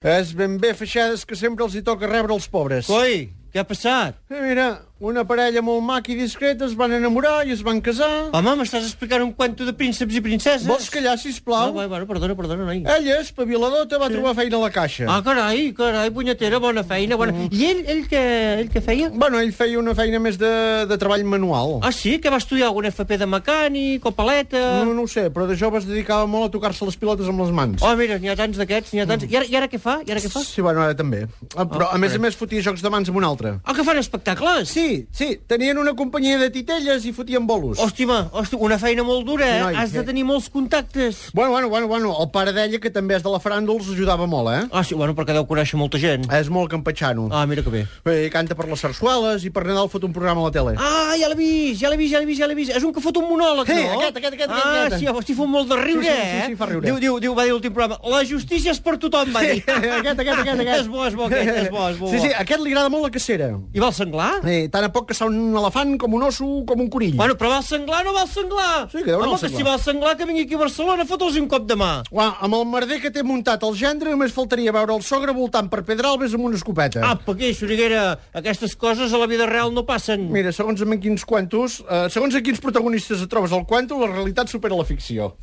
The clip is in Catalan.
És ben bé feixades que sempre els hi toca rebre els pobres. Coi, què ha passat? Mira, una parella molt maca i discreta es van enamorar i es van casar. Home, m'estàs explicant un cuento de prínceps i princeses? Vols callar, sisplau? Bueno, perdona, noi. Ella, espaviladota, va trobar feina a la caixa. Ah, carai, punyetera, bona feina, bona... I ell què feia? Bueno, ell feia una feina més de treball manual. Ah, sí? Que va estudiar algun FP de mecànic o paleta? No ho sé, però de jove es dedicava molt a tocar-se les pilotes amb les mans. Oh, mira, n'hi ha tants d'aquests, I ara què fa? Sí, bueno, ara també. Però, a més, fotia jocs de mans amb un altre. Ah, que fan espectacles? Sí, tenien una companyia de titelles i fotien bolos. Hòstima, una feina molt dura, eh? Noi, Has de tenir molts contactes. Bueno, el pare d'ella, que també és de la faràndula, els ajudava molt, eh? Ah, sí, bueno, perquè deu conèixer molta gent. És molt campatxano. Ah, mira que bé. Canta per les sarsueles i per Nadal fot un programa a la tele. Ah, ja l'he vist. És un que fot un monòleg, no? Aquest. Ah, sí, hosti, fa molt de riure, eh? Sí, fa riure. Va dir l'últim programa, la justícia és per tothom, va dir. Aquest. És bo, és bo. Sí, aquest li agrada molt la cacera. I va el senglar? Tant a poc que un elefant, com un osso, com un conill. Bueno, però va el senglar o no va el senglar? Sí, que deu anar el Home, que senglar. si va el senglar, que vingui aquí a Barcelona, fot'ls un cop de mà. Amb el merder que té muntat el gendre, només faltaria veure el sogre voltant per Pedralbes amb una escopeta. Apa, què, Xuriguera? Aquestes coses a la vida real no passen. Mira, segons en quins protagonistes et trobes al cuento, la realitat supera la ficció.